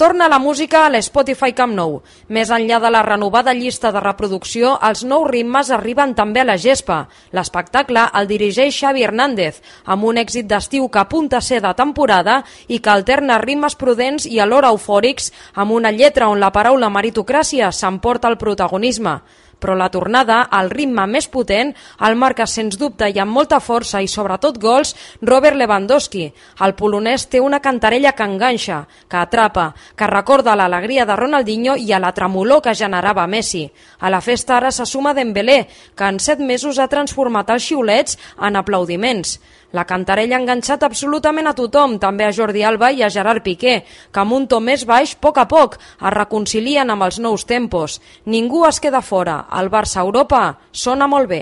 Torna la música a l'Spotify Camp Nou. Més enllà de la renovada llista de reproducció, els nous ritmes arriben també a la gespa. L'espectacle el dirigeix Xavi Hernández, amb un èxit d'estiu que apunta a ser de temporada i que alterna ritmes prudents i alhora eufòrics amb una lletra on la paraula meritocràcia s'emporta el protagonisme. Però la tornada, al ritme més potent, el marca sens dubte i amb molta força i sobretot gols Robert Lewandowski. El polonès té una cantarella que enganxa, que atrapa, que recorda l'alegria de Ronaldinho i a la tremolor que generava Messi. A la festa ara se suma Dembélé, que en 7 mesos ha transformat els xiulets en aplaudiments. La cantarella ha enganxat absolutament a tothom, també a Jordi Alba i a Gerard Piqué, que amb un to més baix, a poc es reconcilien amb els nous tempos. Ningú es queda fora. El Barça-Europa sona molt bé.